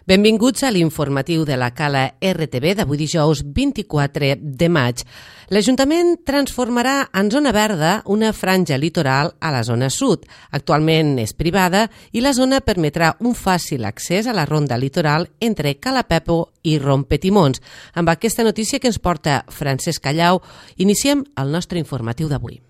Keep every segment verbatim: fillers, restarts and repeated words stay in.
Benvinguts a l'informatiu de la Cala R T V d'avui dijous vint-i-quatre de maig. L'Ajuntament transformarà en zona verda una franja litoral a la zona sud. Actualment és privada i la zona permetrà un fàcil accés a la ronda litoral entre Cala Pepo i Rompetimons. Amb aquesta notícia que ens porta Francesc Callau, iniciem el nostre informatiu d'avui.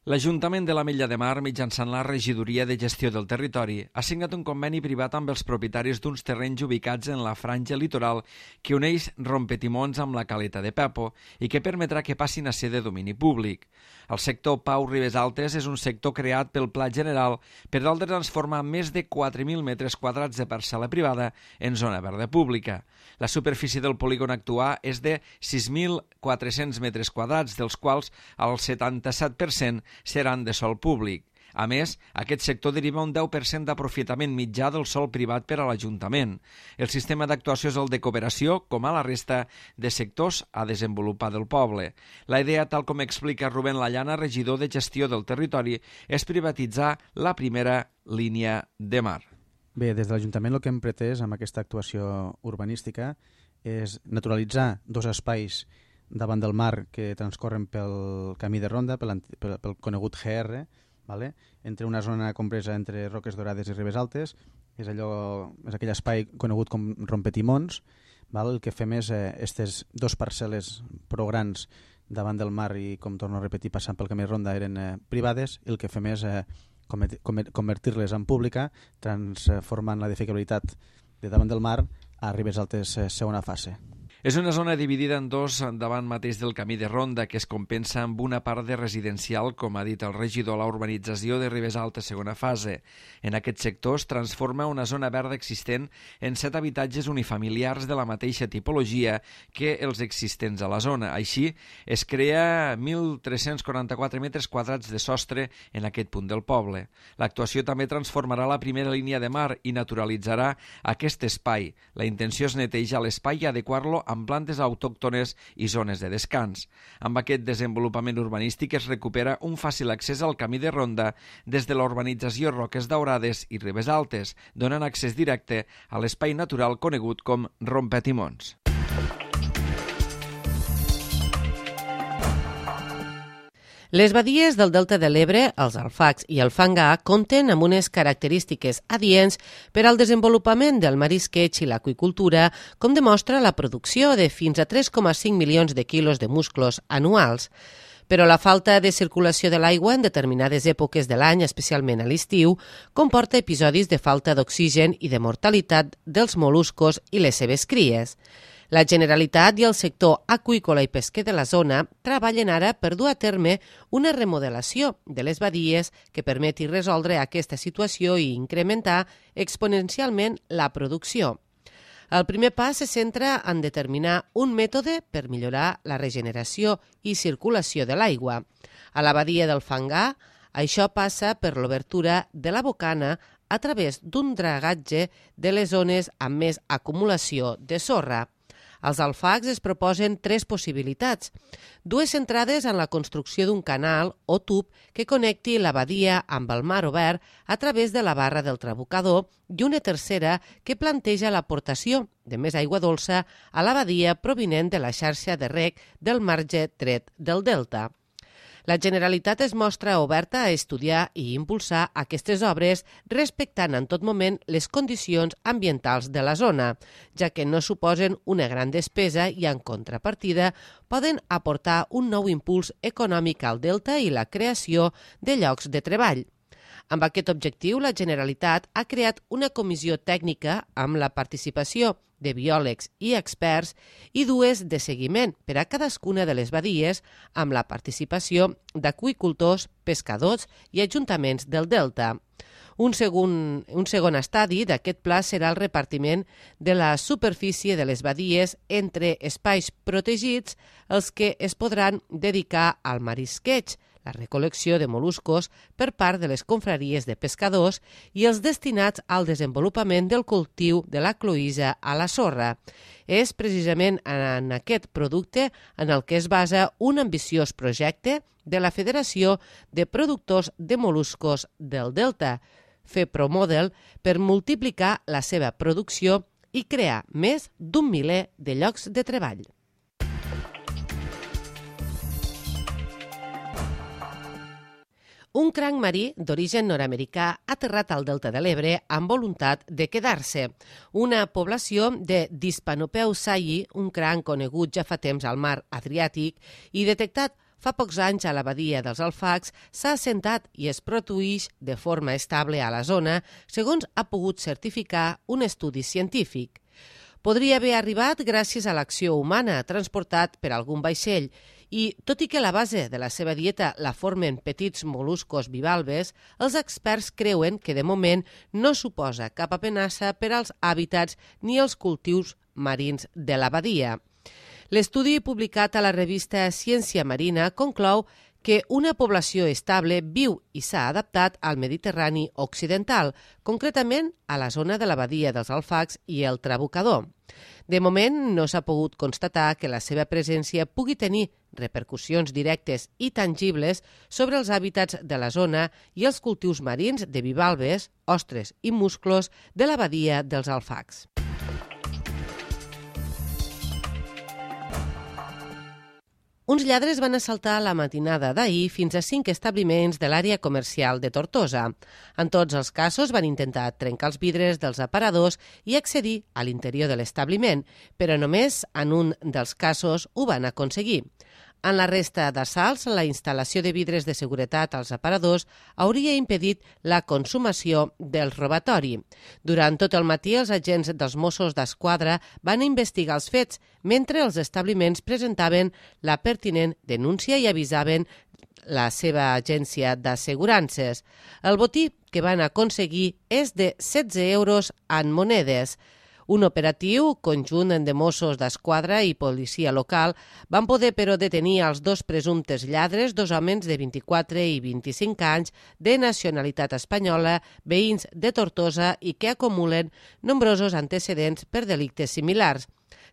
L'Ajuntament de l'Ametlla de Mar, mitjançant la Regidoria de Gestió del Territori, ha signat un conveni privat amb els propietaris d'uns terrenys ubicats en la franja litoral que uneix Rompetimons amb la Caleta de Pepo i que permetrà que passin a ser de domini públic. El sector Pau Ribes Altes és un sector creat pel Pla General per tal de transformar més de quatre mil metres quadrats de parcel·la privada en zona verda pública. La superfície del polígon actual és de sis mil quatre-cents metres quadrats, dels quals el setanta-set per cent seran de sòl públic. A més, aquest sector deriva un deu per cent d'aprofitament mitjà del sòl privat per a l'Ajuntament. El sistema d'actuació és el de cooperació, com a la resta de sectors a desenvolupar del poble. La idea, tal com explica Rubén Lallana, regidor de Gestió del Territori, és privatitzar la primera línia de mar. Bé, des de l'Ajuntament el que hem pretès amb aquesta actuació urbanística és naturalitzar dos espais davant del mar que transcorren pel camí de ronda, pel, pel, pel conegut G R, vale? Entre una zona compresa entre Roques Dorades i Ribes Altes, és, allò, és aquell espai conegut com Rompetimons. Val? El que fem és eh, aquestes dos parcel·les prou grans davant del mar i, com torno a repetir, passant pel camí de ronda eren eh, privades, i el que fem és eh, convertir-les en pública, transformant la edificabilitat de davant del mar a Ribes Altes eh, segona fase. És una zona dividida en dos davant mateix del camí de ronda que es compensa amb una part de residencial, com ha dit el regidor, la urbanització de Ribes Altes segona fase. En aquest sector es transforma una zona verda existent en set habitatges unifamiliars de la mateixa tipologia que els existents a la zona. Així, es crea mil tres-cents quaranta-quatre metres quadrats de sostre en aquest punt del poble. L'actuació també transformarà la primera línia de mar i naturalitzarà aquest espai. La intenció és netejar l'espai i adequar-lo a amb plantes autòctones i zones de descans. Amb aquest desenvolupament urbanístic es recupera un fàcil accés al camí de ronda des de la urbanització Roques Daurades i Ribes Altes, donant accés directe a l'espai natural conegut com Rompetimons. Les badies del Delta de l'Ebre, els alfacs i el fangar, compten amb unes característiques adients per al desenvolupament del marisqueig i l'aqüicultura, com demostra la producció de fins a tres coma cinc milions de quilos de musclos anuals. Però la falta de circulació de l'aigua en determinades èpoques de l'any, especialment a l'estiu, comporta episodis de falta d'oxigen i de mortalitat dels mol·luscos i les seves cries. La Generalitat i el sector aqüícola i pesquer de la zona treballen ara per dur a terme una remodelació de les badies que permeti resoldre aquesta situació i incrementar exponencialment la producció. El primer pas se centra en determinar un mètode per millorar la regeneració i circulació de l'aigua. A la badia del Fangar, això passa per l'obertura de la bocana a través d'un dragatge de les zones amb més acumulació de sorra. Els alfacs es proposen tres possibilitats. Dues centrades en la construcció d'un canal o tub que connecti la badia amb el mar obert a través de la barra del trabucador i una tercera que planteja l'aportació de més aigua dolça a la badia provinent de la xarxa de reg del marge dret del delta. La Generalitat es mostra oberta a estudiar i impulsar aquestes obres respectant en tot moment les condicions ambientals de la zona, ja que no suposen una gran despesa i, en contrapartida, poden aportar un nou impuls econòmic al delta i la creació de llocs de treball. Amb aquest objectiu, la Generalitat ha creat una comissió tècnica amb la participació de biòlegs i experts i dues de seguiment per a cadascuna de les badies amb la participació d'aqüicultors, pescadors i ajuntaments del delta. Un segon, un segon estadi d'aquest pla serà el repartiment de la superfície de les badies entre espais protegits, els que es podran dedicar al marisqueig, la recol·lecció de mol·luscos per part de les confraries de pescadors i els destinats al desenvolupament del cultiu de la cloïssa a la sorra. És precisament en aquest producte en el que es basa un ambiciós projecte de la Federació de Productors de Mol·luscos del Delta, FEPROMODEL, per multiplicar la seva producció i crear més d'un miler de llocs de treball. Un cranc marí d'origen nord-americà ha aterrat al Delta de l'Ebre amb voluntat de quedar-se. Una població de Dispanopeu sayi, un cranc conegut ja fa temps al mar Adriàtic i detectat fa pocs anys a la badia dels Alfacs, s'ha assentat i es produeix de forma estable a la zona, segons ha pogut certificar un estudi científic. Podria haver arribat gràcies a l'acció humana, transportat per algun vaixell, i, tot i que la base de la seva dieta la formen petits mol·luscos bivalves, els experts creuen que de moment no suposa cap amenaça per als hàbitats ni els cultius marins de la badia. L'estudi publicat a la revista Ciència Marina conclou que una població estable viu i s'ha adaptat al Mediterrani occidental, concretament a la zona de la badia dels Alfacs i el Trabucador. De moment no s'ha pogut constatar que la seva presència pugui tenir repercussions directes i tangibles sobre els hàbitats de la zona i els cultius marins de bivalves, ostres i musclos de la badia dels Alfacs. Uns lladres van assaltar la matinada d'ahir fins a cinc establiments de l'àrea comercial de Tortosa. En tots els casos van intentar trencar els vidres dels aparadors i accedir a l'interior de l'establiment, però només en un dels casos ho van aconseguir. En la resta d'assalts, la instal·lació de vidres de seguretat als aparadors hauria impedit la consumació del robatori. Durant tot el matí, els agents dels Mossos d'Esquadra van investigar els fets, mentre els establiments presentaven la pertinent denúncia i avisaven la seva agència d'assegurances. El botí que van aconseguir és de setze euros en monedes. Un operatiu conjunt de Mossos d'Esquadra i policia local van poder però detenir els dos presumptes lladres, dos homes de vint-i-quatre i vint-i-cinc anys de nacionalitat espanyola, veïns de Tortosa i que acumulen nombrosos antecedents per delictes similars.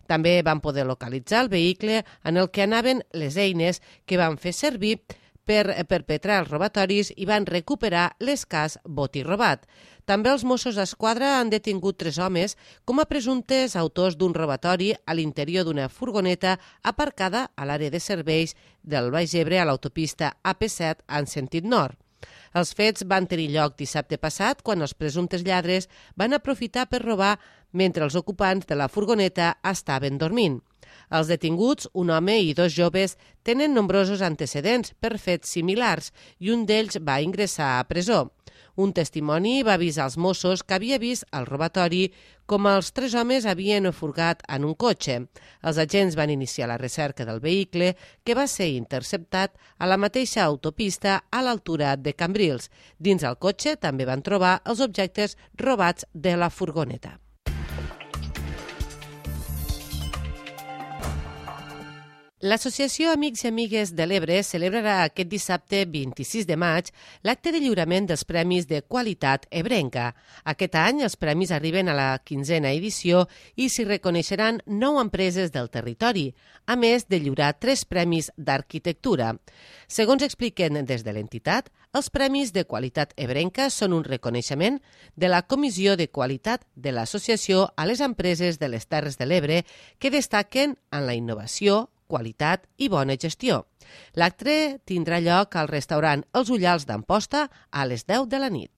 També van poder localitzar el vehicle en el que anaven les eines que van fer servir per perpetrar els robatoris i van recuperar l'escàs botí robat. També els Mossos d'Esquadra han detingut tres homes com a presumptes autors d'un robatori a l'interior d'una furgoneta aparcada a l'àrea de serveis del Baix Ebre a l'autopista A P set en sentit nord. Els fets van tenir lloc dissabte passat quan els presumptes lladres van aprofitar per robar mentre els ocupants de la furgoneta estaven dormint. Els detinguts, un home i dos joves, tenen nombrosos antecedents per fets similars i un d'ells va ingressar a presó. Un testimoni va avisar als Mossos que havia vist el robatori com els tres homes havien furgat en un cotxe. Els agents van iniciar la recerca del vehicle, que va ser interceptat a la mateixa autopista a l'altura de Cambrils. Dins el cotxe també van trobar els objectes robats de la furgoneta. L'Associació Amics i Amigues de l'Ebre celebrarà aquest dissabte vint-i-sis de maig l'acte de lliurament dels Premis de Qualitat Ebrenca. Aquest any els premis arriben a la quinzena edició i s'hi reconeixeran nou empreses del territori, a més de lliurar tres premis d'arquitectura. Segons expliquen des de l'entitat, els Premis de Qualitat Ebrenca són un reconeixement de la Comissió de Qualitat de l'Associació a les empreses de les Terres de l'Ebre que destaquen en la innovació, qualitat i bona gestió. L'acte tindrà lloc al restaurant Els Ullals d'Amposta a les deu de la nit.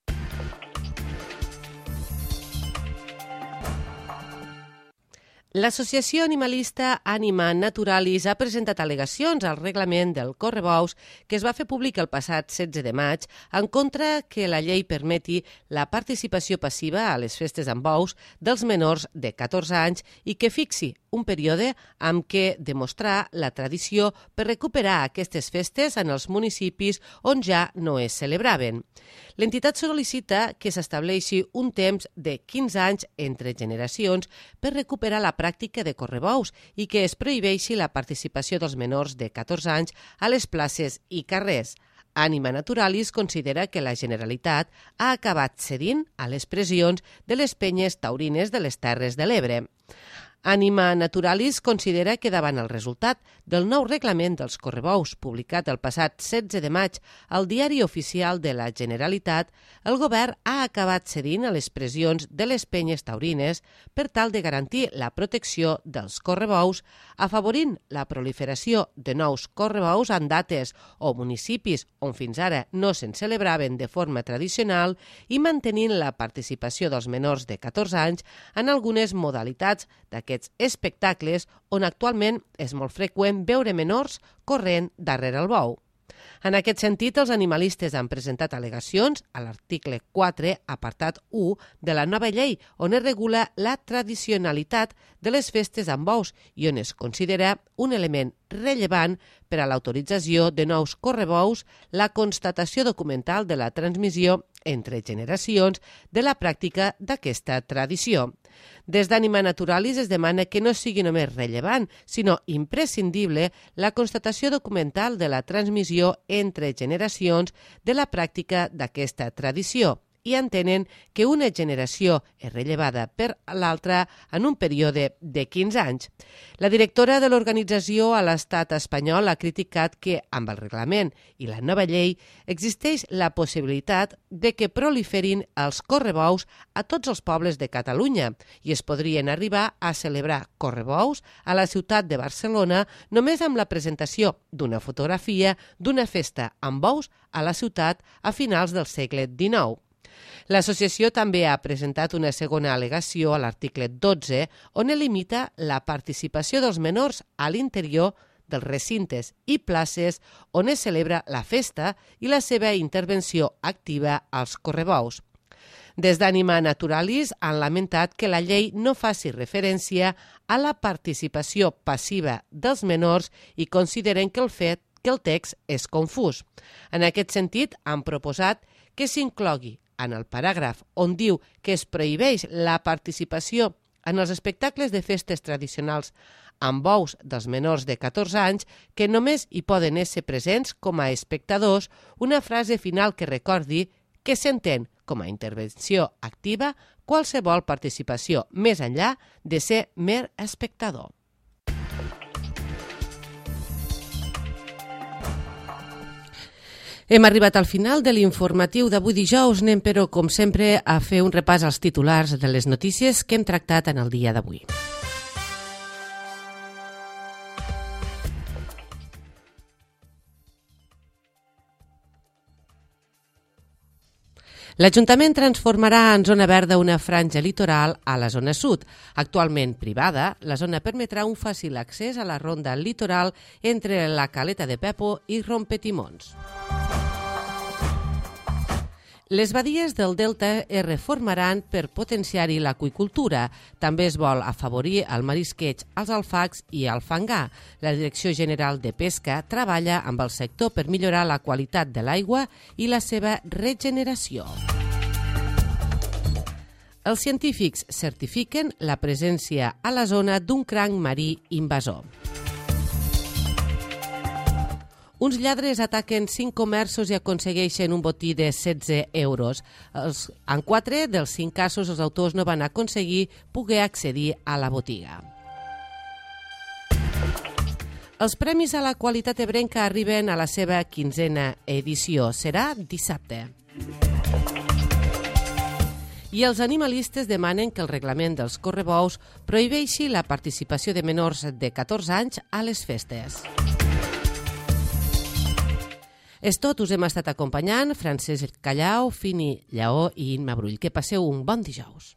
L'associació animalista Anima Naturalis ha presentat al·legacions al reglament del correbous que es va fer públic el passat setze de maig en contra que la llei permeti la participació passiva a les festes amb bous dels menors de catorze anys i que fixi un període amb què demostrar la tradició per recuperar aquestes festes en els municipis on ja no es celebraven. L'entitat sol·licita que s'estableixi un temps de quinze anys entre generacions per recuperar la pràctica de correbous i que es prohibeixi la participació dels menors de catorze anys a les places i carrers. Anima Naturalis considera que la Generalitat ha acabat cedint a les pressions de les penyes taurines de les Terres de l'Ebre. Anima Naturalis considera que davant el resultat del nou reglament dels correbous publicat el passat setze de maig al Diari Oficial de la Generalitat, el govern ha acabat cedint a les pressions de les penyes taurines per tal de garantir la protecció dels correbous, afavorint la proliferació de nous correbous en dates o municipis on fins ara no se'n celebraven de forma tradicional i mantenint la participació dels menors de catorze anys en algunes modalitats d'aquests espectacles on actualment és molt freqüent veure menors corrent darrere el bou. En aquest sentit, els animalistes han presentat al·legacions a l'article quatre, apartat u, de la nova llei, on es regula la tradicionalitat de les festes amb bous i on es considera un element rellevant per a l'autorització de nous correbous la constatació documental de la transmissió entre generacions de la pràctica d'aquesta tradició. Des d'Anima Naturalis es demana que no sigui només rellevant, sinó imprescindible la constatació documental de la transmissió entre generacions de la pràctica d'aquesta tradició i entenen que una generació és rellevada per l'altra en un període de quinze anys. La directora de l'organització a l'estat espanyol ha criticat que, amb el reglament i la nova llei, existeix la possibilitat de que proliferin els correbous a tots els pobles de Catalunya i es podrien arribar a celebrar correbous a la ciutat de Barcelona només amb la presentació d'una fotografia d'una festa amb bous a la ciutat a finals del segle dinou. L'associació també ha presentat una segona al·legació a l'article dotze on limita la participació dels menors a l'interior dels recintes i places on es celebra la festa i la seva intervenció activa als correbous. Des d'Anima Naturalis han lamentat que la llei no faci referència a la participació passiva dels menors i consideren que el fet que el text és confús. En aquest sentit, han proposat que s'inclogui en el paràgraf on diu que es prohibeix la participació en els espectacles de festes tradicionals amb bous dels menors de catorze anys que només hi poden ésser presents com a espectadors una frase final que recordi que s'entén com a intervenció activa qualsevol participació més enllà de ser mer espectador. Hem arribat al final de l'informatiu d'avui dijous. Anem, però, com sempre, a fer un repàs als titulars de les notícies que hem tractat en el dia d'avui. L'Ajuntament transformarà en zona verda una franja litoral a la zona sud. Actualment privada, la zona permetrà un fàcil accés a la ronda litoral entre la Caleta de Pepo i Rompetimons. Les badies del Delta es reformaran per potenciar-hi l'aqüicultura. També es vol afavorir el marisqueig, els alfacs i el fangar. La Direcció General de Pesca treballa amb el sector per millorar la qualitat de l'aigua i la seva regeneració. Els científics certifiquen la presència a la zona d'un cranc marí invasor. Uns lladres ataquen cinc comerços i aconsegueixen un botí de setze euros. Els, en quatre dels cinc casos, els autors no van aconseguir poder accedir a la botiga. Els Premis a la Qualitat Ebrenca arriben a la seva quinzena edició. Serà dissabte. I els animalistes demanen que el reglament dels correbous prohibeixi la participació de menors de catorze anys a les festes. És tot, us hem estat acompanyant Francesc Callau, Fini Lleó i Imma Brull. Que passeu un bon dijous.